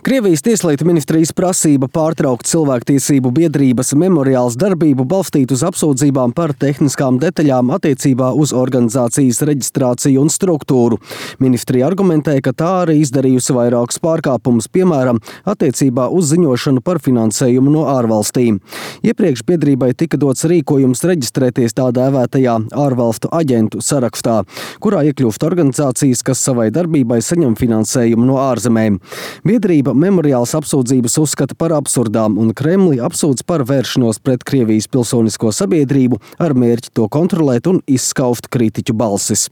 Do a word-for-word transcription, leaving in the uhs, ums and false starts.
Krievijas tieslietu ministrijas prasība pārtraukt cilvēktiesību biedrības Memoriāls darbību balstīt uz apsūdzībām par tehniskām detaļām attiecībā uz organizācijas reģistrāciju un struktūru. Ministrija argumentē, ka tā arī izdarījusi vairākus pārkāpumus, piemēram, attiecībā uz ziņošanu par finansējumu no ārvalstīm. Iepriekš biedrībai tika dots rīkojums reģistrēties tā dēvētajā ārvalstu aģentu sarakstā, kurā iekļūst organizācijas, kas savai darbībai saņem finansējumu no ārzemēm. Biedrība Memoriāls apsūdzības uzskata par absurdām un Kremli apsūdz par vēršanos pret Krievijas pilsonisko sabiedrību ar mērķi to kontrolēt un izskauft kritiķu balsis.